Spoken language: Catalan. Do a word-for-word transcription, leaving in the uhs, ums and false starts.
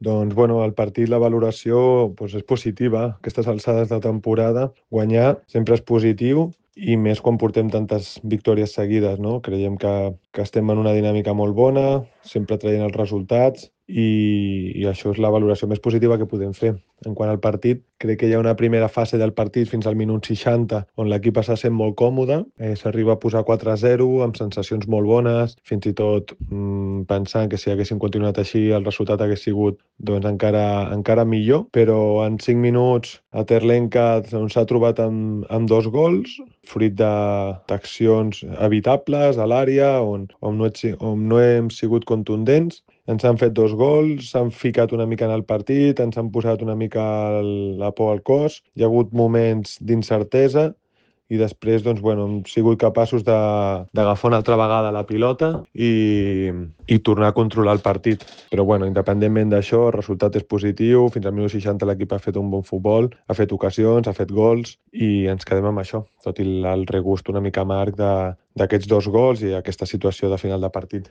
Doncs, bueno, el partit, la valoració doncs és positiva. A aquestes alçades de temporada, guanyar sempre és positiu i més quan portem tantes victòries seguides, no? Creiem que, que estem en una dinàmica molt bona, sempre traient els resultats i, i això és la valoració més positiva que podem fer. En quant al partit, crec que hi ha una primera fase del partit fins al minut seixanta on l'equip està sent molt còmode, eh, s'arriba a posar quatre a zero amb sensacions molt bones, fins i tot mmm, pensant que si haguéssim continuat així el resultat hagués sigut doncs, encara, encara millor, però en cinc minuts a Terlenca s'ha trobat amb, amb dos gols, fruit d'accions evitables a l'àrea on, on, no he, on no hem sigut contundents. Ens han fet dos gols, s'han ficat una mica en el partit, ens han posat una mica la por al cos, hi ha hagut moments d'incertesa i després doncs, bueno, hem sigut capaços d'agafar una altra vegada la pilota i, i tornar a controlar el partit. Però bueno, independentment d'això, el resultat és positiu, fins al minut seixanta l'equip ha fet un bon futbol, ha fet ocasions, ha fet gols i ens quedem amb això, tot i el regust una mica amarg d'aquests dos gols i aquesta situació de final de partit.